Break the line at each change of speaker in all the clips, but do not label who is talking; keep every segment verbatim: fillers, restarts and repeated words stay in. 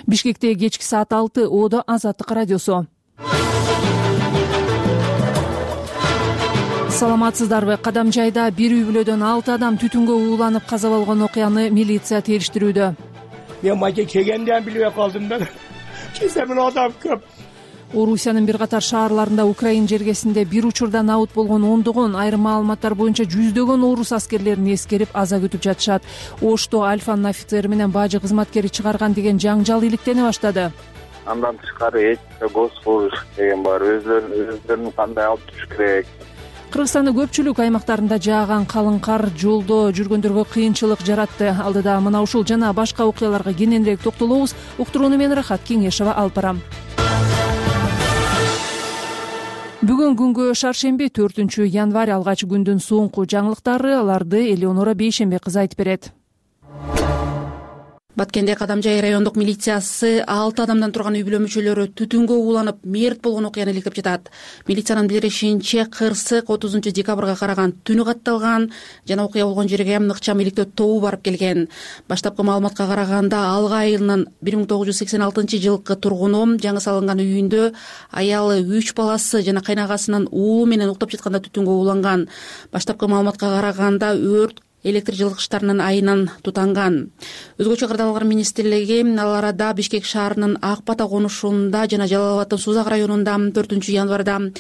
Бишкекте кечки саат алты. Одо Азаттык радиосу. Саламатсыздарбы? Кадам жайда бир үй бүлөдөн алты адам түтүнгө ууланып каза болгон окуяны милиция териштирүүдө.
Мен мажа келгенден билбей калдым да. Кесемин адам көп.
Орусиянын бир катар шаарларында Украин жергесинде бир учурда набыт болгон ондогон, айрым маалыматтар боюнча жүздөгөн орус аскерлерин эскерип аза күтүп жатышат. Ошто Альфанын офицери менен бажы кызматкери чыгарган деген жаңжал иликтене баштады.
Андан тышкары этика, госслужащий деген бар. Өзлөрүн өздөрүн кандай алып туруш керек.
Кыргызстандын көпчүлүк аймактарында жааган калың кар жолдо жүргөндөргө кыйынчылык жаратты. Алдыда мына ушул жана башка окуяларга кененирээк токтолобуз. Уктурууну мен Рахат Кеңешова алып барам. Бүгүн күнгө шаршемби төртүнчү январь алгач күндүн соңку жаңылыктары. Аларды Элеонора Бейшембе кызы айтып берет.
Баткенде Кадамжай райондук милициясы алты адамдан турган үй бүлө мүчөлөрү түтүнгө ууланып мерт болгон окуяны иликтеп жатат. Милициянын билдиришинче, кырсык отузунчу декабрга караган түнү катталган жана окуя болгон жерге ыкчам иликтөө тобу барып келген. Баштапкы маалыматка караганда Алга айылынын бир миң тогуз жүз сексен алтынчы жылкы тургуну жаңы салынган үйүндө аялы, үч баласы жана кайнагасынын уулу менен уктап жатканда түтүнгө ууланган. Баштапкы маалыматка караганда өрт электр жылгычтарынын айынан тутанган. Өзгөчө кырдаал кыргыз министрлиги ал арада Бишкек шаарынын Ак Бата конушунда жана Жалал Абаддын Сузак районунда төртүнчү январда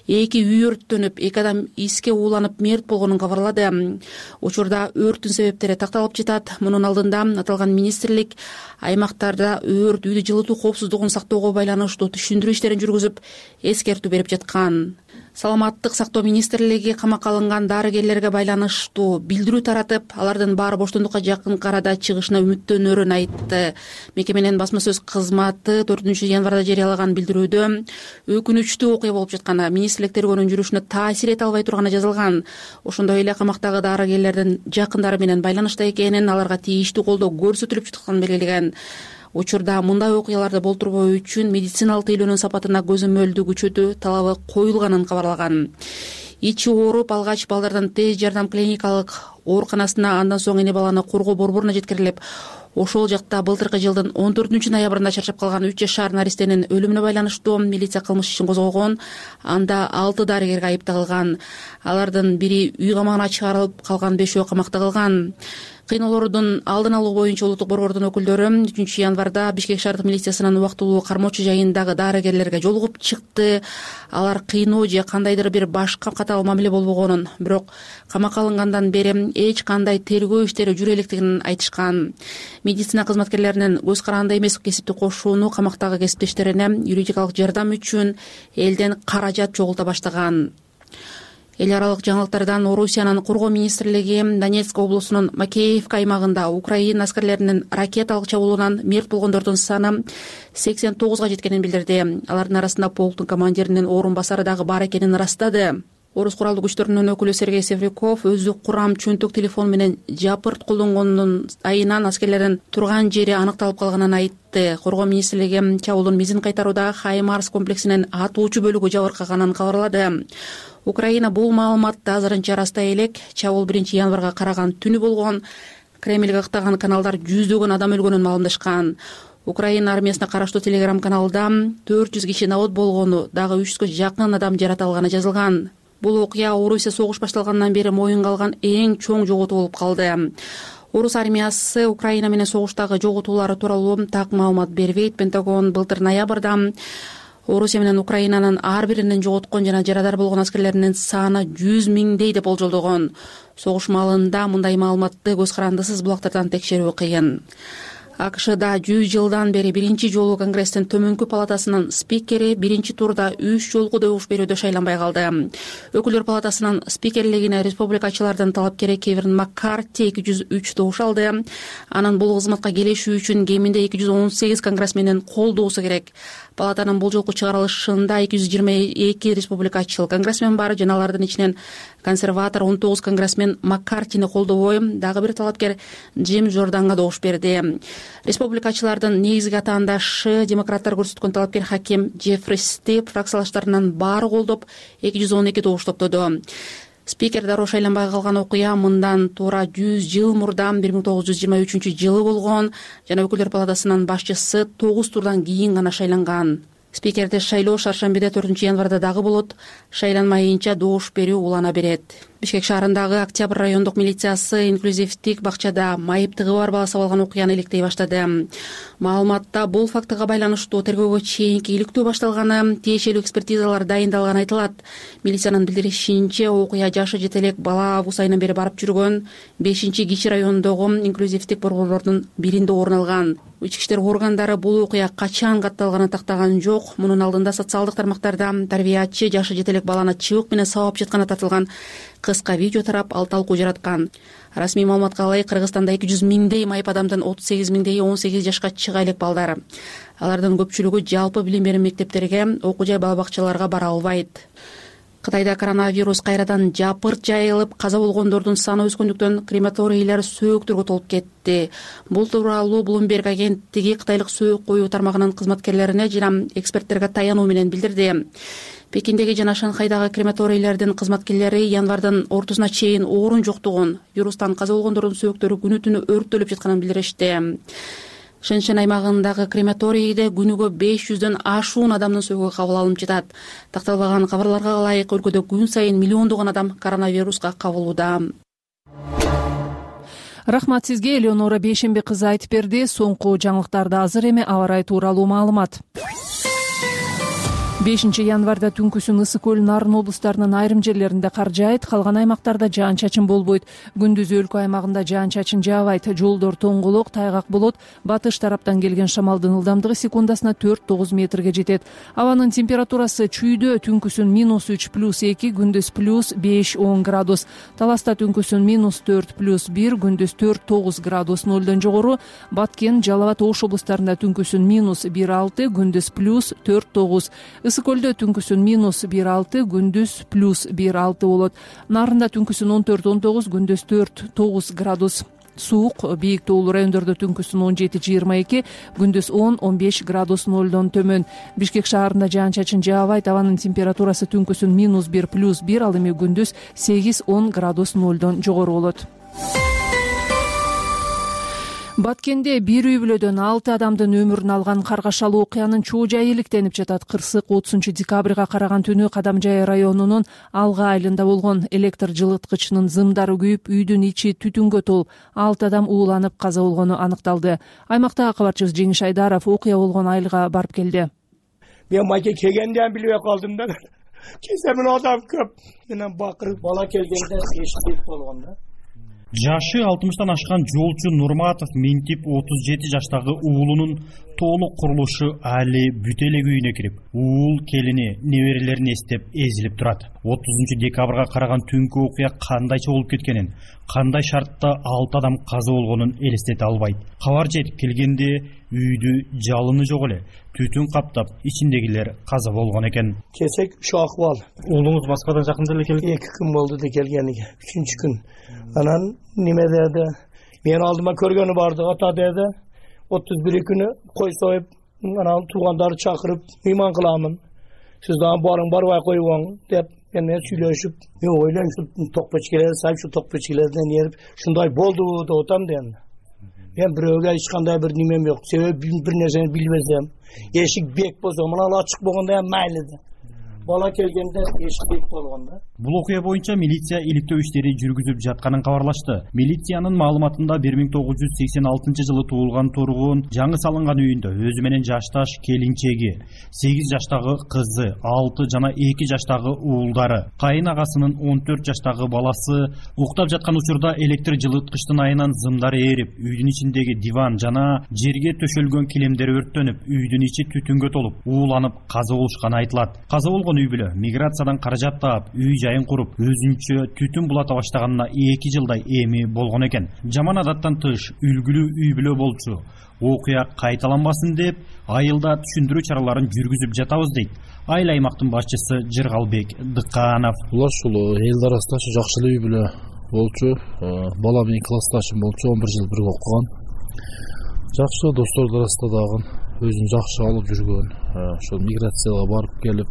эки үй өрттөнүп, эки адам иске ууланып мерт болгонун кабарлады. Учурда өрттүн себептери такталып жатат. Мунун алдында аталган министрлик аймактарда өрт, үйдү жылытуу коопсуздугун сактоого байланыштуу түшүндүрүү иштерин жүргүзүп, эскертүү берип жаткан. Саламаттык сактоо министрлиги камакка алынган дарыгерлерге байланыштуу билдирүү таратып, алардын баары боштондукка жакын арада чыгышына үмүттөнөрүн айтты. Мекеменин басма сөз кызматы төртүнчү январда жарыялаган билдирүүдө өкүнүчтүү окуя болуп жатканы, министрлик тергөөнүн жүрүшүнө таасир эте албай турганы жазылган. Ошондой эле камактагы дарыгерлердин жакындары менен байланышта экенин, аларга тийиштүү колдоо көрсөтүлүп жатканын белгилеген. Учурда мындай окуяларды болтурбоо үчүн медициналык тейлөөнүн сапатына көзөмөлдү күчөтүү талабы коюлганын кабарлаган. Ичи ооруп, алгач балдардан тез жардам клиникалык ооруканасына, андан соң эне баланы коргоо борборуна жеткирилип, ошол жакта былтыркы жылдын он төртүнчү ноябрында чарчап калган үч жашар наристенин өлүмүнө байланыштуу милиция кылмыш ишин козгогон. Анда алты дарыгерге айып тагылган. Алардын бири үй камагына чыгарылып, калган бешөө камакта калган. Кыйноолордун алдын алуу боюнча улуттук борбордун өкүлдөрү үчүнчү январда Бишкек шаардык милициясынын убактылуу кармоочу жайындагы дарыгерлерге жолугуп чыкты. Алар кыйноо же кандайдыр бир башка катаал мамиле болбогонун, бирок камакка алынгандан бери эч кандай тергөө иштери жүрө электигин айтышкан. Медицина кызматкерлеринин көз каранды эмес кесиптик кошууну камактагы кесиптештерине юридикалык жардам үчүн элден каражат чогулта баштаган. Эл аралык жаңылыктардан Орусиянын коргоо министрлиги Донецк облусунун Макеевка аймагында Украин аскерлеринин ракеталык чабуулунан мерт болгондордун саны сексен тогузга жеткенин билдирди. Алардын арасында полктун командиринин орун басары дагы бар экенин ырастады. Орус куралдуу күчтөрүнүн өкүлү Сергей Севрюков өзү курам чөнтөк телефон менен жапырт колдонгонунун айынан аскерлердин турган жери аныкталып калганын айтты. Коргоо министрлиги чабуулдун мизин кайтарууда Хаймарс комплексинин атуучу бөлүгү жабыркаганын кабарлады. Украина бул маалыматты азырынча ырастай элек. Чабуул биринчи январга караган түнү болгон. Кремльге ыктаган каналдар жүздөгөн адам өлгөнүн маалымдашкан. Украина армиясына караштуу телеграм каналда төрт жүз киши набыт болгону, дагы үч жүзгө жакын адам жаратылганы жазылган. Бул окуя Орусия согуш башталгандан бери моюнга алган эң чоң жоготуу болуп калды. Орус армиясы Украина менен согуштагы жоготуулары тууралуу так маалымат бербейт. Пентагон былтыр ноябрда Орусия менен Украинанын ар биринин жоготкон жана жарадар болгон аскерлеринин саны жүз миңдей деп болжолдогон. Согуш маалында мындай маалыматты көз карандысыз булактардан текшерүү кыйын. АКШда жүз жылдан бери биринчи жолу Конгресстин төмөнкү палатасынын спикери биринчи турда үч жолку добуш берүүдө шайланбай калды. Өкүлдөр палатасынын спикерлигине республикачылардын талапкери Кевин Маккарти эки жүз үч добуш алды. Анын бул кызматка келишүү үчүн кеминде эки жүз он сегиз конгрессмендин колдоосу керек. Палатанын бул жолку чыгарылышында эки жүз жыйырма эки республикачыл конгрессмен бар, жана алардын ичинен консерватор он тогуз конгрессмен Маккартини колдобой, дагы бир талапкер Джим Жорданга добуш берди. Республикачылардын негизги атаандашы демократтар көрсөткөн талапкер хаким Джеффри Степ фракциялаштарынын баары колдоп эки жүз он эки добуш топтоду. Спикер дароо шайланбай калган окуя мындан туура жүз жыл мурда бир миң тогуз жүз жыйырма үчүнчү жылы болгон жана өкүлдөр палатасынын башчысы тогуз турдан кийин гана шайланган. Спикерди шайлоо шаршембиде төртүнчү январда дагы болот. Шайланмайынча добуш берүү улана берет. Бишкек шаарындагы Октябрь райондук милициясы инклюзивдик бакчада майыптыгы бар бала сабалган окуяны иликтей баштады. Маалыматта бул фактыга байланыштуу тергөөгө чейинки иликтөө башталганы, тиешелүү экспертизалар дайындалганы айтылат. Милициянын билдиришинче, окуя жашы жете элек бала август айынан бери барып жүргөн бешинчи Кичи районундогу инклюзивдик борборлордун биринде орун алган. Ички иштер органдары бул окуя качан катталганын тактаган жок. Мунун алдында социалдык тармактарда тарбиячы жашы жете элек баланы чыбык менен сабап жатканы тартылган кыска видео тарап, ал талкуу жараткан. Расмий маалыматка ылайык, Кыргызстанда эки жүз миңдей майып адамдын отуз сегиз миңдеги он сегиз жашка чыга элек балдар. Алардын көпчүлүгү жалпы билим берүү мектептерге, окуу жай бала бакчаларга бара албайт. Кытайда коронавирус кайрадан жапырт жайылып, каза болгондордун саны өскөндүктөн крематорийлер сөөктөргө толуп кетти. Бул тууралуу Bloomberg агенттиги кытайлык сөөк коюу тармагынын кызматкерлерине жана эксперттерге таянуу менен билдирди. Пекиндеги жана Шанхайдагы крематорийлердин кызматкерлери январдын ортосуна чейин орун жоктугун, вирустан каза болгондордун сөөктөрү күнү түнү өрттөлүп жатканын билдиришти. Шэньшэн аймагындагы крематорийде күнүгө беш жүздөн ашуун адамдын сөөгү кабыл алынып жатат. Такталбаган кабарларга ылайык, өлкөдө күн сайын миллиондогон адам коронавируска кабылууда.
Рахмат сизге, Элеонора Бейшембек кызы айтып берди. Соңку жаңылыктарда азыр эми аба ырайы тууралуу маалымат. бешинчи январда түнкүсүн Ысык көл, Нарын облустарынын айрым жерлеринде кар жаайт, калган аймактарда жаан-чачын болбойт. Күндүз өлкө аймагында жаан-чачын жаабайт, жолдор тоңголок, тайгак болот. Батыш тараптан келген шамалдын ылдамдыгы секундасына төрт тогуз метрге жетет. Абанын температурасы чүйдө түнкүсүн минус үч плюс эки, күндүз плюс беш он градус. Таласта түнкүсүн минус төрт плюс бир, күндүз төрт тогуз градус. Нолдон жогору Баткен, Жалал абад, Ош облустарында түнкүсүн минус бир алты, күндүз плюс төрт тогуз. Ысык көлдө түнкүсүн минус бир алты, күндүз плюс бир алты болот. Нарында түнкүсүн он төрт он тогуз, күндүз төрт тогуз градус. Суук, бийик тоолуу райондордо түнкүсүн он жети жыйырма эки, күндүз он он беш градус нолдон төмөн. Бишкек шаарында жаан-чачын жаабайт, абанын температурасы түнкүсүн минус бир плюс бир, ал эми күндүз сегиз он градус нолдон жогору болот. Баткенде бир үй бүлөдөн алты адамдын өмүрүн алган каргашалуу окуянын чоо жайы иликтенип жатат. Кырсык отузунчу декабрга караган түнү Кадамжай районунун Алга айылында болгон. Электр жылыткычынын зымдары күйүп, үйдүн ичи түтүнгө толуп, алты адам ууланып каза болгону аныкталды. Аймактагы кабарчыбыз Жеңиш Айдаров окуя болгон айылга барып келди.
Мен майке келгенден билбей калдым да. Кеземин адам көп. Менен бакырып бала келгенде эшитип болгон да.
Жашы алтымыштан ашкан жолчу Нурматов Минтип отуз жети жаштагы уулунун толук курулушу али бүтө эле күйүнө кирип, уул келини неберелерин эстеп эзилип турат. отузунчу декабрга караган түнкү окуя кандайча болуп кеткенин, кандай шартта алты адам каза болгонун элестете албайт. Кабар жетип келгенде үйдү жалыны жок эле, түтүн каптап, ичиндегилер каза болгон экен.
Кесек ушу акыбал.
Уулуңуз Москвадан жакында эле келген?
эки күн болду да келгениге, үчүнчү күн. Анан неме деди? Мен алдыма көргөнү барды, ата деди. отуз бир күнү кой союп, анан туугандарды чакырып, мейман кыламын. Сиз дагы барың барбай коюңуз деп менен сүйлөшүп, мен ойлойм ушу токпечкелерди сайып, ушу токпечкелерден эрип, ушундай болду деп атам дем. Мен бирөөгө эч кандай бир немем жок. Себеби бир нерсени билбесем, эшик бек болсо, мына ачык болгондо ham майлы. Бала келгенде эшик бек болгон да.
Бул окуя боюнча милиция иликтөө иштери жүргүзүп жатканын кабарлашты. Милициянын маалыматында бир миң тогуз жүз сексен алтынчы жылы туулган тургун жаңы салынган үйүндө өзү менен жашташ келинчеги, сегиз жаштагы кызы, алты жана эки жаштагы уулдары, кайын агасынын он төрт жаштагы баласы уктап жаткан учурда электр жылыткычтын айынан зымдары эрип, үйдүн ичиндеги диван жана жерге төшөлгөн килемдер өрттөнүп, үйдүн ичи түтүнгө толуп, ууланып каза болушканы айтылат. Каза болгон үй бүлө миграциядан каражат таап, үй жайын куруп, өзүнчө түтүн булата баштаганына эки жылдай эми болгон экен. Жаман адаттан тыш үлгүлүү үй бүлө болчу. Окуя кайталанбасын деп, айылда түшүндүрүү чараларын жүргүзүп жатабыз дейт айыл аймактын башчысы Жыргалбек Дыканов.
Булар ушул эл арасында ушу жакшы үй бүлө болчу. Бала менен классташым болчу, он бир жыл бирге окуган. Жакшы достор арасында дагы өзүн жакшы алып жүргөн. Ошол миграцияга барып келип,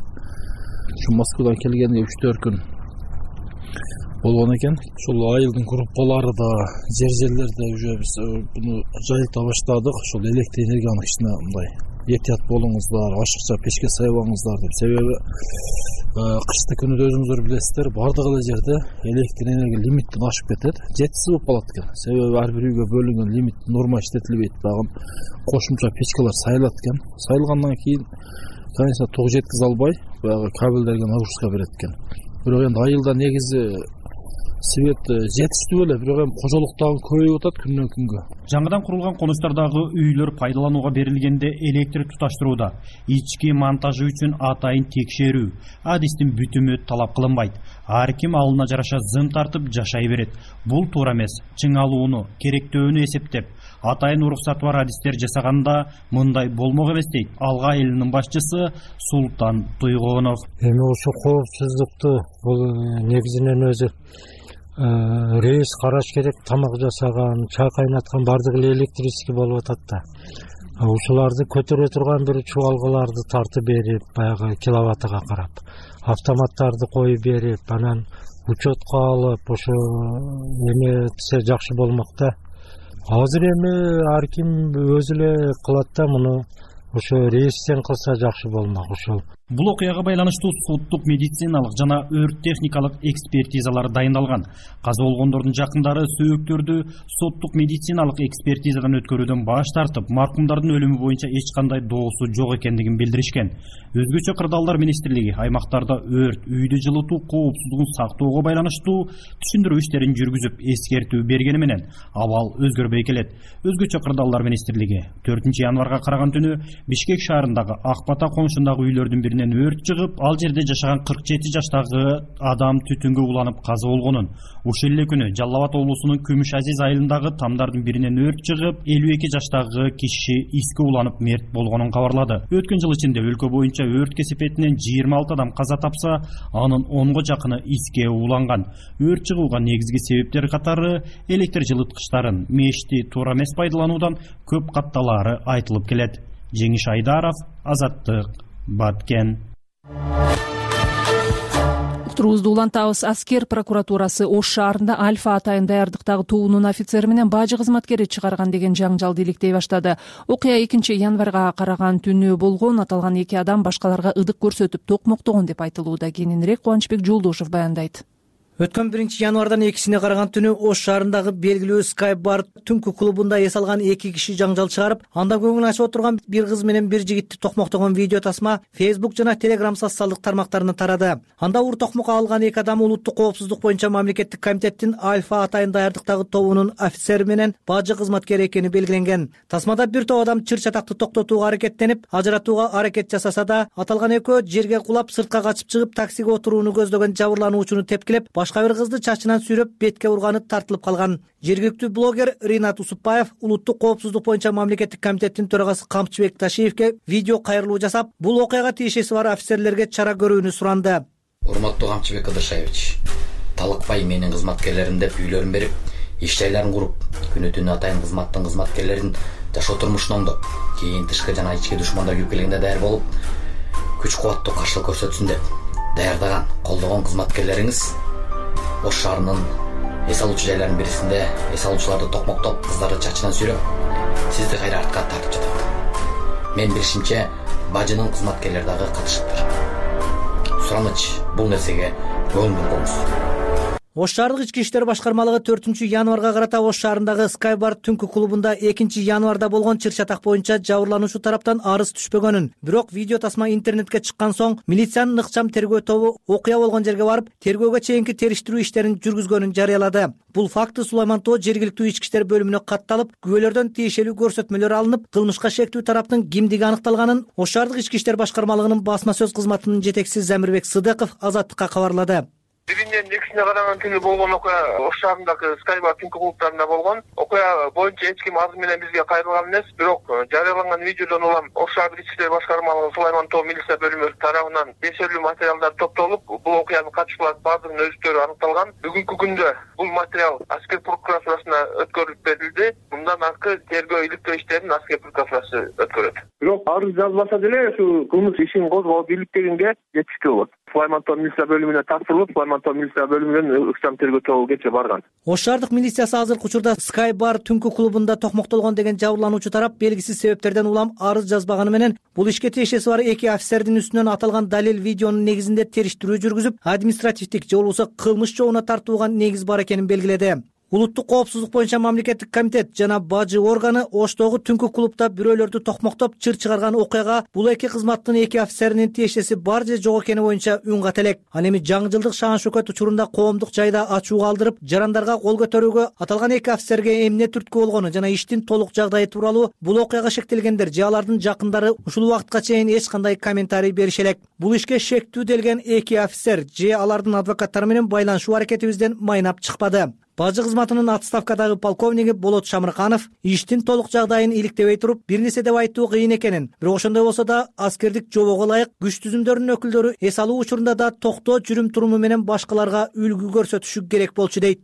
ушу Москвадан келгенде үч төрт күн болгон экен. Ушул айылдын группалары да, жер жерлерде уже биз буну жайылта баштадык. Ошол электр энергияны кичине мындай этият болуңуздар, ашыкча печке сайбаңыздар деп. Себеби кышты күнүдө өзүңүздөр билесиздер, бардык эле жерде электр энергия лимиттен ашып кетет, жетишсиз болуп калат экен. Себеби ар бир үйгө бөлүнгөн лимит норма иштетилбейт, дагы кошумча печкалар сайылат экен. Сайылгандан кийин, конечно, ток жеткизе албай, баягы кабелдерге нагрузка берет экен. Бирок эми айылда негизи свет жетиштүү эле, бирок эми кожолук дагы көбөйүп атат күндөн күнгө.
Жаңыдан курулган конуштардагы үйлөр пайдаланууга берилгенде электр туташтырууда ички монтажы үчүн атайын текшерүү, адистин бүтүмү талап кылынбайт. Ар ким алына жараша зым тартып жашай берет. Бул туура эмес. Чыңалууну, керектөөнү эсептеп, атайын уруксаты бар адистер жасаганда мындай болмок эмес дейт Алга элинин башчысы Султан Туйгонов.
Эми ошо коопсуздукту бул негизинен өзү рейс караш керек, тамак жасаган, чай кайнаткан бардыгы эле электрический болуп атат да. Ушуларды көтөрө турган бир чубалгыларды тартып берип, баягы киловаттыга карап, автоматтарды коюп берип, анан учетко алып, ошо эметсе жакшы болмок да. Азыр эми ар ким өзү эле кылат да муну, ошо рейстен кылса жакшы болмок ошол.
Бул окуяга байланыштуу соттук медициналык жана өрт техникалык экспертизалар дайындалган. Каза болгондордун жакындары сөөктөрдү соттук медициналык экспертизадан өткөрүүдөн баш тартып, маркумдардын өлүмү боюнча эч кандай доосу жок экендигин билдиришкен. Өзгөчө Кырдаалдар министрлиги аймактарда өрт, үйдү жылытуу коопсуздугун сактоого байланыштуу түшүндүрүү иштерин жүргүзүп, эскертүү бергени менен абал өзгөрбөй келет. Өзгөчө Кырдаалдар министрлиги төртүнчү январга караган түнү Бишкек шаарындагы Ак Бата конушундагы үйлөрдүн биринен өрт чыгып, ал жерде жашаган кырк жети жаштагы адам түтүнгө уланып каза болгонун, ушул эле күнү Жалал Абад облусунун Күмүш Азиз айылындагы тамдардын биринен өрт чыгып, элүү эки жаштагы киши иске уланып мерт болгонун кабарлады. Өткөн жыл ичинде өлкө боюнча өрт кесепетинен жыйырма алты адам каза тапса, анын онго жакыны иске уланган. Өрт чыгууга негизги себептер катары электр жылыткычтарын, мешти туура эмес пайдалануудан көп катталаары айтылып келет. Жеңиш Айдаров, Азаттык, Баткен.
Уктуруубузду улантабыз. Аскер прокуратурасы Ош шаарында Альфа атайын даярдыктагы тобунун офицери менен бажы кызматкери чыгарган деген жаңжалды иликтей баштады. Окуя экинчи январга караган түнү болгон. Аталган эки адам башкаларга ыдык көрсөтүп токмоктогон деп айтылууда. Кененирээк Кубанычбек Жолдошов баяндайт.
Өткөн биринчи январдан экисине караган түнү Ош шаарындагы белгилүү Sky Bar түнкү клубунда эс алган эки киши жаңжал чыгарып, анда көңүл ачып отурган бир кыз менен бир жигитти токмоктогон видео тасма Facebook жана Telegram социалдык тармактарына тарады. Анда ур токмокко алган эки адам улуттук коопсуздук боюнча мамлекеттик комитеттин Альфа атайын даярдыктагы тобунун офицери менен бажы кызматкери экени белгиленген. Тасмада бир топ адам чыр чатакты токтотууга аракеттенип, ажыратууга аракет жасаса да, аталган экөө жерге кулап, сыртка качып чыгып, таксиге отурууну көздөгөн жабырлануучуну тепкилеп, башка бир кызды чачынан сүйрөп, бетке урганы тартылып калган. Жергиликтүү блогер Ринат Усупбаев улуттук коопсуздук боюнча мамлекеттик комитеттин төрагасы Камчыбек Ташиевке видео кайрылуу жасап, бул окуяга тиешеси бар офицерлерге чара көрүүнү суранды.
Урматтуу Камчыбек Кыдыршаевич, талыкпай менин кызматкерлерим деп үйлөрүн берип, иш жайларын куруп, күнү түнү атайын кызматтын кызматкерлерин жашоо турмушун оңдоп, кийин тышкы жана ички душмандар күйүп келгенде даяр болуп, күч кубаттуу каршылык көрсөтсүн деп даярдаган, колдогон кызматкерлериңиз Ош шаарынын эс алуучу жайларынын бирисинде эс алуучуларды токмоктоп, кыздарды чачынан сүйрөп, сизди кайра артка тартып жатат. Мен билишимче, бажынын кызматкерлери дагы катышыптыр. Сураныч, бул нерсеге көңүл бургуңуз.
Ош шаардык ички иштер башкармалыгы төртүнчү январга карата Ош шаарындагы Sky Bar түнкү клубунда экинчи январда болгон чыр чатак боюнча жабырлануучу тараптан арыз түшпөгөнүн, бирок видео тасма интернетке чыккан соң милициянын ыкчам тергөө тобу окуя болгон жерге барып, тергөөгө чейинки териштирүү иштерин жүргүзгөнүн жарыялады. Бул факты Сулайман Тоо жергиликтүү ички иштер бөлүмүнө катталып, күбөлөрдөн тиешелүү көрсөтмөлөр алынып, кылмышка шектүү тараптын кимдиги аныкталганын Ош шаардык ички иштер башкармалыгынын басма сөз кызматынын жетекчиси Замирбек Сыдыков Азаттыкка кабарлады.
Биринен экисине караган түнү болгон окуя Ош шаарындагы Sky Bar түнкү клубтарында болгон. Окуя боюнча эч ким азыр менен бизге кайрылган эмес, бирок жарыяланган видеодон улам Ош шаардык ички иштер башкармалыгы Сулайман Тоо милиция бөлүмү тарабынан тиешелүү материалдар топтолуп, бул окуянын катчылары бардыгынын өзүттөрү аныкталган. Бүгүнкү күндө бул материал Аскер прокуратурасына өткөрүлүп берилди. Мындан аркы тергөө иликтөө иштерин Аскер прокуратурасы өткөрөт. бирок арыз жазбаса деле ушу кылмыш ишин козгоп бийликтегенге жетишти болот. Сулайман-Тоо милиция бөлүмүнө тапшырылып, Сулайман-Тоо милиция бөлүмүнөн ыкчам тергөө тобу кечээ барган.
Ош шаардык милициясы азыркы учурда Sky Bar түнкү клубунда токмоктолгон деген жабырлануучу тарап белгисиз себептерден улам арыз жазбаганы менен бул ишке тиешеси бар эки офицердин үстүнөн аталган далил видеонун негизинде териштирүү жүргүзүп, административдик же болбосо кылмыш жообуна тартууга негиз бар экенин белгиледи. Улуттук коопсуздук боюнча мамлекеттик комитет жана бажы органы Оштогу түнкү клубда бирөөлөрдү токмоктоп чыр чыгарган окуяга бул эки кызматтын эки офицеринин тиешеси бар же жок экени боюнча үн ката элек. Ал эми жаңы жылдык шаан шөкөт учурунда коомдук жайда ачууга алдырып, жарандарга кол көтөрүүгө, аталган эки офицерге эмне түрткү болгону жана иштин толук жагдайы тууралуу бул окуяга шектелгендер же алардын жакындары ушул убакытка чейин эч кандай комментарий берише элек. Бул ишке шектүү делген эки офицер же алардын адвокаттары менен байланышуу аракетибизден майнап чыкпады. Бажы кызматынын отставкадагы полковниги Болот Шамырканов иштин толук жагдайын иликтебей туруп, бир нерсе деп айтуу кыйын экенин, бирок ошондой болсо да аскердик жобого ылайык күч түзүмдөрүнүн өкүлдөрү эс алуу учурунда да токтоо жүрүм туруму менен башкаларга үлгү көрсөтүшү керек болчу дейт.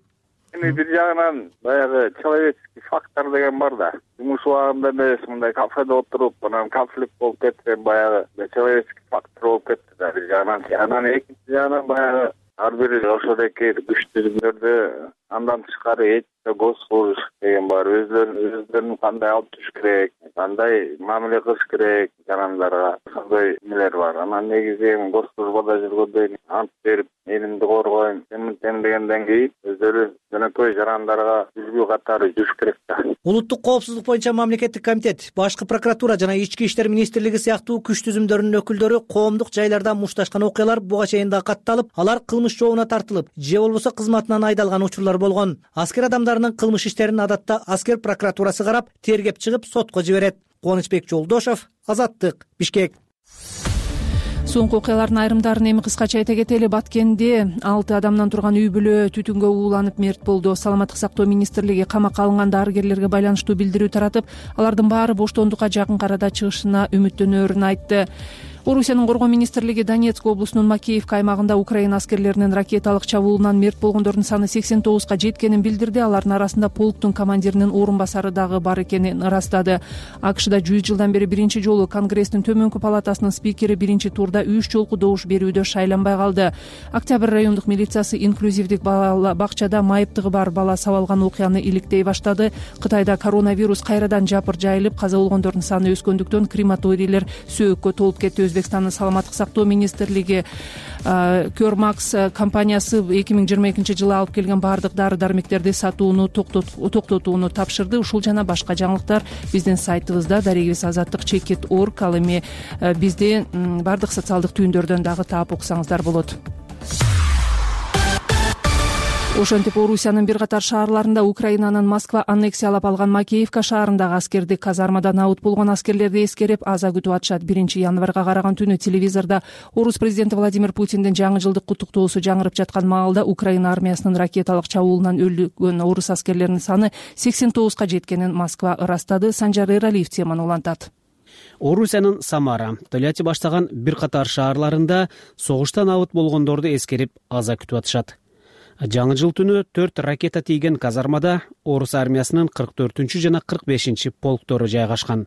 Эми бир жагынан баягы человеческий фактор деген бар да. Жумуш убагында эмес, мындай кафеде отуруп, анан конфликт болуп кетсе, баягы человеческий фактор болуп кетти да бир жагынан. Анан экинчи жагынан баягы ар бир ошодоки күч түзүмдөрдү андан тышкары этика, госслужащий деген бар. Өздөрүн өздөрүн кандай алып жүрүш керек, кандай мамиле кылыш керек жарандарга, ошондой эмелер бар. Анан негизи эми госслужбада жүргөндө ант берип, элимди коргойм, эминтем дегенден кийин өздөрү жөнөкөй жарандарга үлгү катары жүрүш керек да.
Улуттук коопсуздук боюнча мамлекеттик комитет, башкы прокуратура жана ички иштер министрлиги сыяктуу күч түзүмдөрүнүн өкүлдөрү коомдук жайларда мушташкан окуялар буга чейин да катталып, алар кылмыш жообуна тартылып, же болбосо кызматынан айдалган учурлар болгон. Аскер адамдарынын кылмыш иштерин адатта аскер прокуратурасы карап, тергеп чыгып сотко жиберет. Кубанычбек Жолдошов, Азаттык, Бишкек.
Соңку окуялардын айрымдарын эми кыскача айта кетели. Баткенде алты адамдан турган үй бүлө түтүнгө ууланып мерт болду. Саламаттык сактоо министрлиги камакка алынган дарыгерлерге байланыштуу билдирүү таратып, алардын баары боштондукка жакын арада чыгышына үмүттөнөөрүн айтты. Орусиянын коргоо министрлиги Донецк облусунун Макеевка аймагында Украина аскерлеринин ракеталык чабуулунан мерт болгондордун саны сексен тогузга жеткенин билдирди. Алардын арасында полктун командиринин орун басары дагы бар экенин ырастады. АКШда жүз жылдан бери биринчи жолу Конгресстин төмөнкү палатасынын спикери биринчи турда үч жолку добуш берүүдө шайланбай калды. Октябрь райондук милициясы инклюзивдик бакчада майыптыгы бар бала сабалган окуяны иликтей баштады. Кытайда коронавирус кайрадан жапыр жайылып, каза болгондордун саны өскөндүктөн крематорийлер сөөккө толуп кетти. Өзбекстандын саламаттык сактоо министрлиги Кёрмакс компаниясы эки миң жыйырма экинчи жылы алып келген баардык дары-дармектерди сатууну токтотууну тапшырды. Ушул жана башка жаңылыктар биздин сайтыбызда дарегибиз азаттык чекит точка орг. Ал эми бизди баардык социалдык түйүндөрдөн дагы таап окусаңыздар болот. Ошентип Орусиянын бир катар шаарларында Украинанын Москва аннексиялап алган Макеевка шаарындагы аскердик казармада набыт болгон аскерлерди эскерип аза күтүп атышат. биринчи январга караган түнү телевизордо Орус президенти Владимир Путиндин жаңы жылдык куттуктоосу жаңырып жаткан маалда Украина армиясынын ракеталык чабуулунан өлгөн орус аскерлеринин саны сексен тогузга жеткенин Москва ырастады. Санжар Эралиев теманы улантат.
Орусиянын Самара, Тольятти баштаган бир катар шаарларында согуштан набыт болгондорду эскерип аза күтүп атышат. Жаңы жыл түнү төрт ракета тийген казармада орус армиясынын кырк төртүнчү жана кырк бешинчи полктору жайгашкан.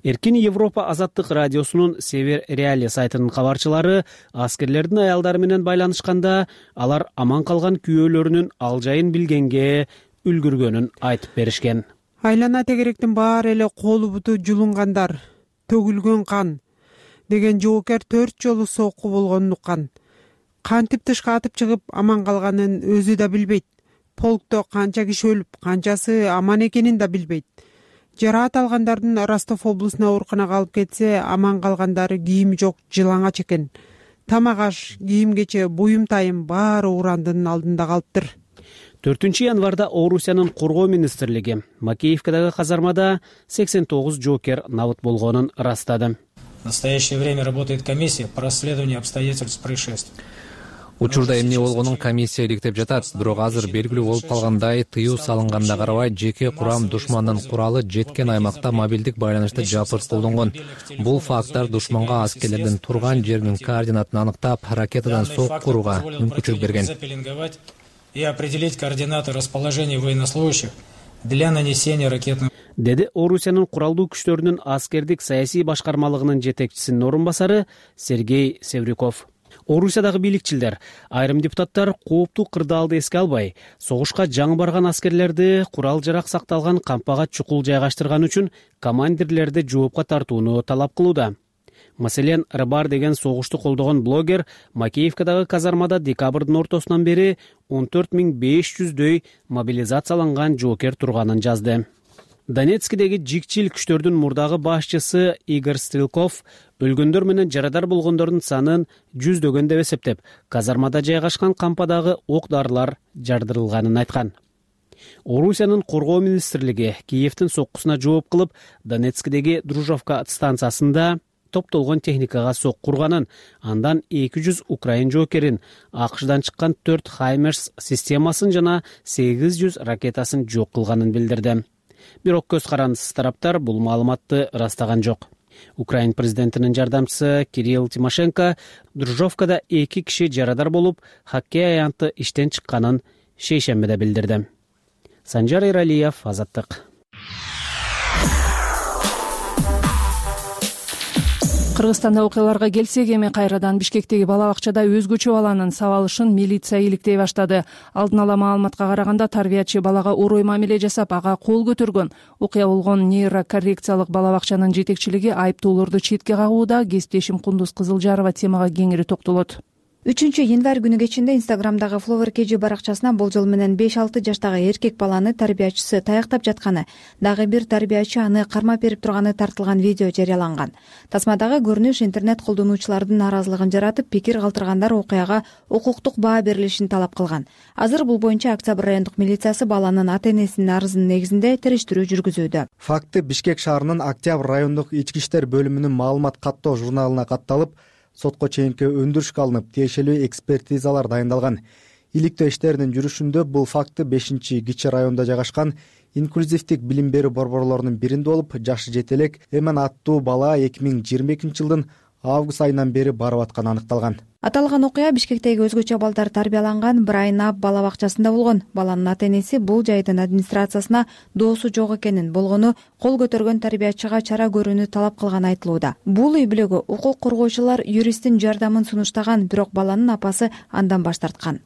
Эркин Европа азаттык радиосунун Север Реали сайтынын кабарчылары аскерлердин аялдары менен байланышканда алар аман калган күйөөлөрүнүн ал жайын билгенге үлгүргөнүн айтып беришкен.
Айлана тегеректин баары эле колу буту жулунгандар, төгүлгөн кан деген жоокер төрт жолу сокку болгонун уккан. Кантип тышка атып чыгып аман калганын өзү да билбейт. Полкто канча киши өлүп, канчасы аман экенин да билбейт. Жараат алгандардын Ростов облусуна ооруканага алып кетсе, аман калгандары кийими жок жылаңач экен. Тамак аш, кийим-кече, буюм-тайым баары урандын алдында калыптыр.
төртүнчү январда Орусиянын коргоо министрлиги Макеевкадагы казармада сексен тогуз жоокер набыт болгонун ырастады.
В настоящее время работает комиссия по расследованию обстоятельств происшествия.
Учурда эмне болгонун комиссия иликтеп жатат, бирок азыр белгилүү болуп калгандай, тыюу салынганда карабай жеке курам душмандын куралы жеткен аймакта мобилдик байланышты жапыр колдонгон. Бул факттар душманга аскерлердин турган жеринин координатын аныктап, ракетадан сок курууга мүмкүнчүлүк берген.
И определить координаты расположения военнослужащих для нанесения ракетных
деди Орусиянын куралдуу күчтөрүнүн аскердик саясий башкармалыгынын жетекчисинин орун басары Сергей Севрюков. Орусиядагы бийликчилер, айрым депутаттар кооптуу кырдаалды эске албай, согушка жаңы барган аскерлерди курал жарак сакталган кампага чукул жайгаштырган үчүн командирлерди жоопко тартууну талап кылууда. Маселен, Рыбар деген согушту колдогон блогер Макеевкадагы казармада декабрдын ортосунан бери он төрт миң беш жүздөй мобилизацияланган жоокер турганын жазды. Донецкидеги жикчил күчтөрдүн мурдагы башчысы Игорь Стрелков өлгөндөр менен жарадар болгондордун санын жүздөгөн деп эсептеп, казармада жайгашкан кампадагы ок-дарылар жардырылганын айткан. Орусиянын коргоо министрлиги Киевдин соккусуна жооп кылып, Донецкидеги Дружовка станциясында топтолгон техникага сок курганын, андан эки жүз украин жоокерин, АКШдан чыккан төрт Хаймерс системасын жана сегиз жүз ракетасын жок кылганын билдирди. Бирок көз карандысыз тараптар бул маалыматты ырастаган жок. Украин президентинин жардамчысы Кирилл Тимошенко Дружовкада эки киши жарадар болуп, хоккей аянты иштен чыкканын шейшембиде билдирди. Санжар Эралиев, Азаттык.
Кыргызстанда окуяларга келсек, эми кайрадан Бишкектеги бала бакчада өзгөчө баланын сабалышын милиция иликтей баштады. Алдын ала маалыматка караганда, тарбиячы балага орой мамиле жасап, ага кол көтөргөн. Окуя болгон нейрокоррекциялык бала бакчанын жетекчилиги айыптоолорду четке кагууда. Кесиптешим Кундуз Кызылжарова темага кеңири токтолот.
үчүнчү январь күнү кечинде Инстаграмдагы Flower Кеджи баракчасына болжол менен беш алты жаштагы эркек баланы тарбиячысы таяктап жатканы, дагы бир тарбиячы аны кармап берип турганы тартылган видео жарыяланган. Тасмадагы көрүнүш интернет колдонуучулардын нааразылыгын жаратып, пикир калтыргандар окуяга укуктук баа берилишин талап кылган. Азыр бул боюнча Октябрь райондук милициясы баланын ата-энесинин арызынын негизинде териштирүү жүргүзүүдө.
Факты Бишкек шаарынын Октябрь райондук ички иштер бөлүмүнүн маалымат каттоо журналына катталып, сотко чейинки өндүрүшкө алынып, тиешелүү экспертизалар дайындалган. Иликтөө иштеринин жүрүшүндө бул факты бешинчи кичи райондо жайгашкан инклюзивдик билим берүү борборлорунун биринде болуп, жашы жете элек Эмен аттуу бала эки миң жыйырма экинчи жылдын август айынан бери барып атканы аныкталган.
Аталган окуя Бишкектеги өзгөчө балдар тарбияланган Брайнап бала бакчасында болгон. Баланын ата-энеси бул жайдын администрациясына доосу жок экенин, болгону кол көтөргөн тарбиячыга чара көрүүнү талап кылганы айтылууда. Бул үй бүлөгө укук коргоочулар юристтин жардамын сунуштаган, бирок баланын апасы андан баш тарткан.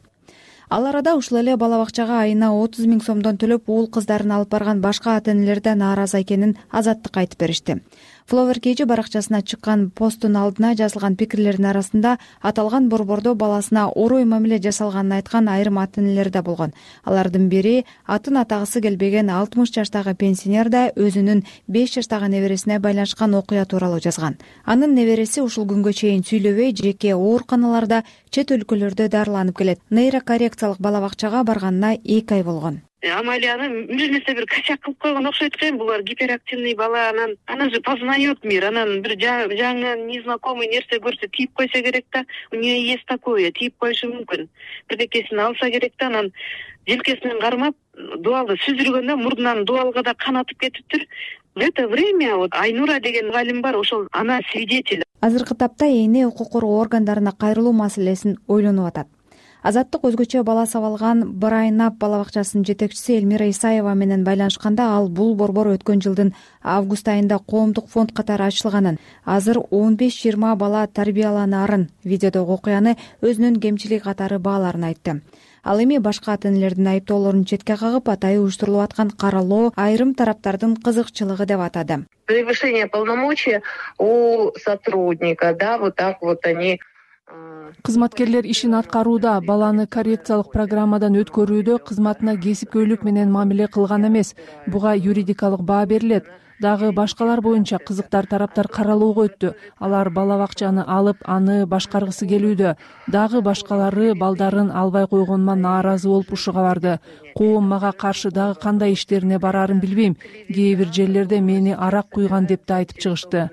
Ал арада ушул эле бала бакчага айына отуз миң сомдон төлөп уул кыздарын алып барган башка ата-энелер да нааразы экенин Азаттыкка айтып беришти. Flower Кеджи баракчасына чыккан посттун алдына жазылган пикирлердин арасында аталган борбордо баласына орой мамиле жасалганын айткан айрым ата-энелер да болгон. Алардын бири атын атагысы келбеген алтымыш жаштагы пенсионер да өзүнүн беш жаштагы небересине байланышкан окуя тууралуу жазган. Анын небереси ушул күнгө чейин сүйлөбөй, жеке ооруканаларда, чет өлкөлөрдө дарыланып келет. Нейрокоррекциялык бала бакчага барганына эки ай болгон.
Амалияны бир нерсе бир качак кылып койгон окшойт экен. Булар гиперактивный бала, анан она же познает мир, анан бир жаңы незнакомый нерсе көрсө тийип койсо керек да. У нее есть такое, тийип коюшу мүмкүн. Бирдекесин алса керек да, анан желкесинен кармап дуалды сүзүргөндө мурдунан дуалга да кан атып кетиптир. В это время вот Айнура деген мугалим бар, ошол ана свидетель.
Азыркы тапта эне укук коргоо органдарына кайрылуу маселесин ойлонуп атат. Азаттык өзгөчө бала сабалган Брайнап бала бакчасынын жетекчиси Элмира Исаева менен байланышканда, ал бул борбор өткөн жылдын август айында коомдук фонд катары ачылганын, азыр он беш жыйырма бала тарбияланаарын, видеодогу окуяны өзүнүн кемчилиги катары бааларын айтты. Ал эми башка ата-энелердин айыптоолорун четке кагып, атайы уюштурулуп аткан каралоо айрым тараптардын кызыкчылыгы деп атады.
Превышение полномочий у сотрудника, да, вот так вот они.
Кызматкерлер ишин аткарууда, баланы коррекциялык программадан өткөрүүдө кызматына кесипкөйлүк менен мамиле кылган эмес. Буга юридикалык баа берилет. Дагы башкалар боюнча кызыктар тараптар каралоого өттү. Алар бала бакчаны алып, аны башкаргысы келүүдө. Дагы башкалары балдарын албай койгонума нааразы болуп ушуга барды. Коом мага каршы дагы кандай иштерине бараарын билбейм. Кээ бир жерлерде мени арак куйган деп да айтып чыгышты.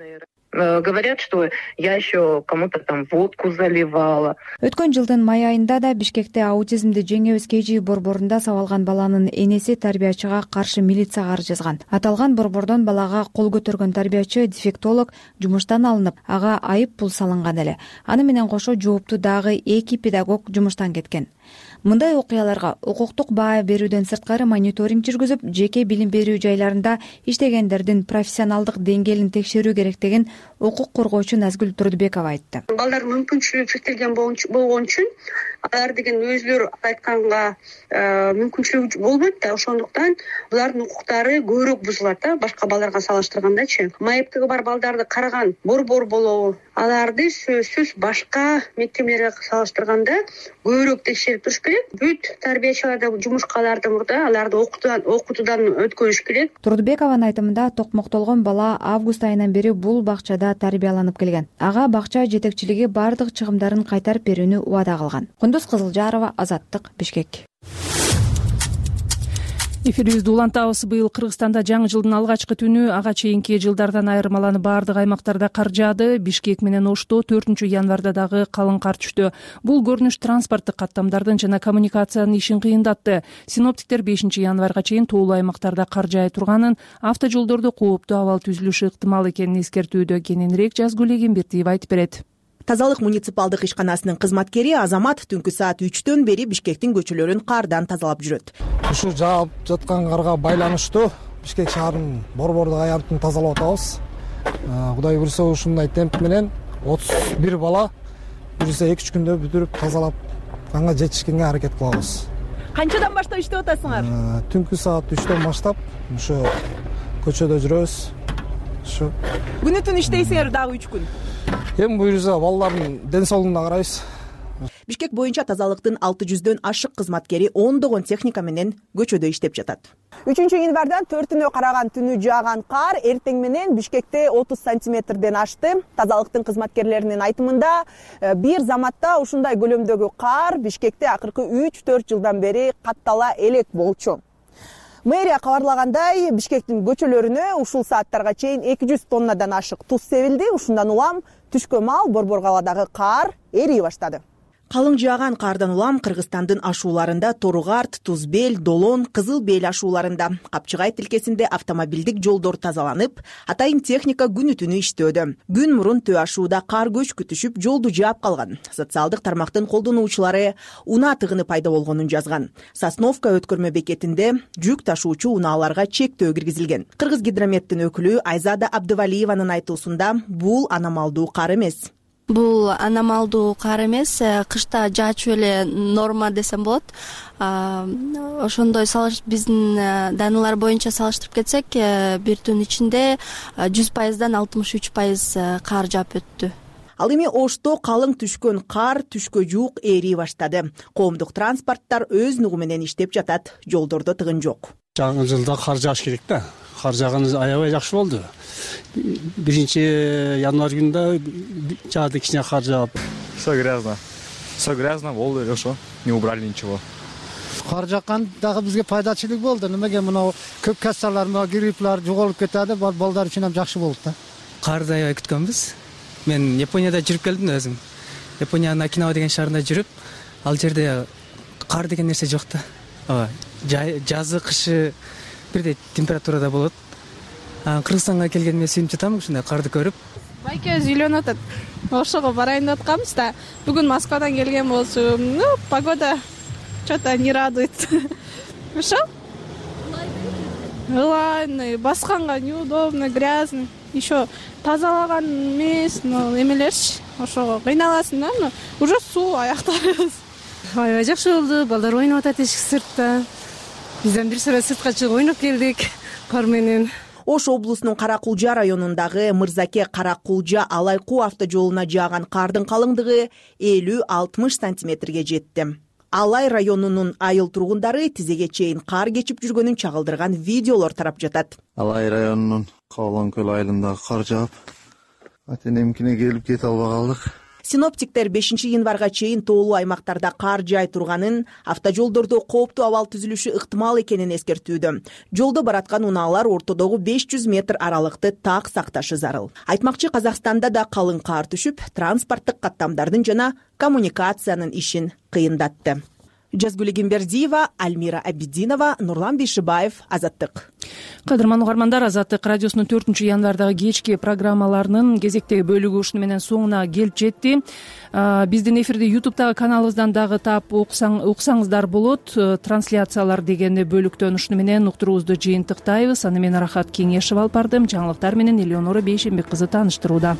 Говорят, что я еще кому-то там водку заливала.
Өткөн жылдын май айында да Бишкекте аутизмди жеңебиз Кеджи борборунда сабалган баланын энеси тарбиячыга каршы милицияга арыз жазган. Аталган борбордон балага кол көтөргөн тарбиячы дефектолог жумуштан алынып, ага айып пул салынган эле. Аны менен кошо жоопту дагы эки педагог жумуштан кеткен. Мындай окуяларга укуктук баа берүүдөн сырткары мониторинг жүргүзүп, жеке билим берүү жайларында иштегендердин профессионалдык деңгээлин текшерүү керек деген укук коргоочу Назгүл Турдубекова айтты.
Балдардын мүмкүнчүлүгү чектелген болгон үчүн алар деген өзүлөрү айтканга мүмкүнчүлүгү болбойт да, ошондуктан булардын укуктары көбүрөөк бузулат да, башка балдарга салыштыргандачы. Майыптыгы бар балдарды караган борбор болобу, аларды сөзсүз башка мектептерге салыштырганда көбүрөөк текшерип туруш керек. Бүт тарбиячыларды жумушка аларды мурда аларды окутуудан окутуудан өткөрүш керек.
Турдубекованын айтымында токмоктолгон бала август айынан бери бул бакчада тарбияланып келген. Ага бакча жетекчилиги бардык чыгымдарын кайтарып берүүнү убада кылган. Кундуз Кызылжарова, Азаттык, Бишкек.
Эфирибизди улантабыз. Быйыл Кыргызстанда жаңы жылдын алгачкы түнү ага чейинки жылдардан айырмаланып бардык аймактарда кар жаады. Бишкек менен Ошто төртүнчү январда дагы калың кар түштү. Бул көрүнүш транспорттук каттамдардын жана коммуникациянын ишин кыйындатты. Синоптиктер бешинчи январга чейин тоолуу аймактарда кар жаай турганын, автожолдордо кооптуу абал түзүлүшү ыктымал экенин эскертүүдө. Кененирээк Жазгүл Эгембертиева айтып берет.
Тазалык муниципалдык ишканасынын кызматкери Азамат түнкү саат үчтөн бери Бишкектин көчөлөрүн кардан тазалап жүрөт.
Ушу жаап жаткан карга байланыштуу Бишкек шаарынын борбордук аянтын тазалап атабыз. Кудай буйрса ушундай темп менен отуз бир бала буйрса эки үч күндө бүтүрүп тазалап канга жетишкенге аракет кылабыз.
Канчадан баштап иштеп атасыңар?
Түнкү саат үчтөн баштап ушу көчөдө жүрөбүз. Ушу
күнү түн иштейсиңер дагы үч күн.
Эми буйрса балдардын ден соолугуна карайбыз.
Бишкек боюнча тазалыктын алты жүздөн ашык кызматкери ондогон техника менен көчөдө иштеп жатат. үчүнчү январдан төртүнө караган түнү жааган кар эртең менен Бишкекте отуз сантиметрден ашты. Тазалыктын кызматкерлеринин айтымында, бир заматта ушундай көлөмдөгү кар Бишкекте акыркы үч төрт жылдан бери каттала элек болчу. Мэрия кабарлагандай, Бишкектин көчөлөрүнө ушул сааттарга чейин эки жүз тоннадан ашык туз себилди. Ушундан улам түшкө маал Борборгаладагы кар эрий баштады. Калың жааган кардан улам Кыргызстандын ашууларында Торугарт, Тузбел, Долон, Кызыл Бел ашууларында, Капчыгай тилкесинде автомобилдик жолдор тазаланып, атайын техника күнү түнү иштөөдө. Күн мурун Төө ашууда кар көчкү түшүп, жолду жаап калган. Социалдык тармактын колдонуучулары унаа тыгыны пайда болгонун жазган. Сосновка өткөрмө бекетинде жүк ташуучу унааларга чектөө киргизилген. Кыргыз гидрометтин өкүлү Айзада Абдывалиеванын айтуусунда, бул аномалдуу кар эмес.
Бул аномалдуу кар эмес, кышта жаачу эле норма десем болот. Ошондой биздин данылар боюнча салыштырып кетсек, бир түн ичинде жүз пайыздан алтымыш үч пайыз кар жаап өттү.
Ал эми Ошто калың түшкөн кар түшкө жуук эрий баштады. Коомдук транспорттор өз нугу менен иштеп жатат, жолдордо тыгын жок.
Жаңы жылда кар жааш керек да. Кар жааганы аябай жакшы болду. Биринчи январь күнүндө жаады кичине кар жаап.
Все грязно. Все грязно болду эле ошо. Не убрали ничего.
Кар жаккан дагы бизге пайдачылык болду. Немеге мына көп кассалар, мына грипплар жоголуп кетти, балдар үчүн ham жакшы болду да.
Карды аябай күткөнбүз. Мен Японияда жүрүп келдим өзүм. Япониянын Окинава деген шаарында жүрүп, ал жерде кар деген нерсе жок да. Ооба, жазы, кышы бирдей температурада болот. Кыргызстанга келгениме сүйүнүп жатам ушундай карды көрүп.
Байке өзү үйлөнүп атат. Ошого барайын деп атканбыз да. Бүгүн Москвадан келген болчу. Ну, погода что-то не радует. Ошо? Ылайный, басканга неудобно, грязно. Еще тазалаган эмес, но эмелерчи. Ошого кыйналасың да, но уже суу аяктарыбыз.
Аябай жакшы болду. Балдар ойноп атат эшик сыртта. Бизден бир сыра сыртка чыгып ойноп келдик кар менен.
Ош облусунун Каракулжа районундагы Мырзаке Каракулжа Алайкуу автожолуна жааган кардын калыңдыгы элүү алтымыш сантиметрге жетти. Алай районунун айыл тургундары тизеге чейин кар кечип жүргөнүн чагылдырган видеолор тарап жатат.
Алай районунун Кабалан көл айылындагы кар жаап, атенемкине келип кете албай калдык.
Синоптиктер бешинчи январга чейин тоолуу аймактарда кар жай турганын, автожолдордо кооптуу абал түзүлүшү ыктымал экенин эскертүүдө. Жолдо бараткан унаалар ортодогу беш жүз метр аралыкты так сакташы зарыл. Айтмакчы, Казакстанда да калың кар түшүп, транспорттук каттамдардын жана коммуникациянын ишин кыйындатты. Жазгүл Эгембердиева, Альмира Абидинова, Нурлан Бейшибаев, Азаттык.
Кадырман угармандар, Азаттык радиосунун төртүнчү январдагы кечки программаларынын кезектеги бөлүгү ушуну менен соңуна келип жетти. Биздин эфирди ютубтагы каналыбыздан дагы таап уксаңыздар болот. Трансляциялар деген бөлүктөн ушуну менен уктуруубузду жыйынтыктайбыз. Аны мен Рахат Кеңешева алып бардым. Жаңылыктар менен Элеонора Бейшембек кызы тааныштырууда.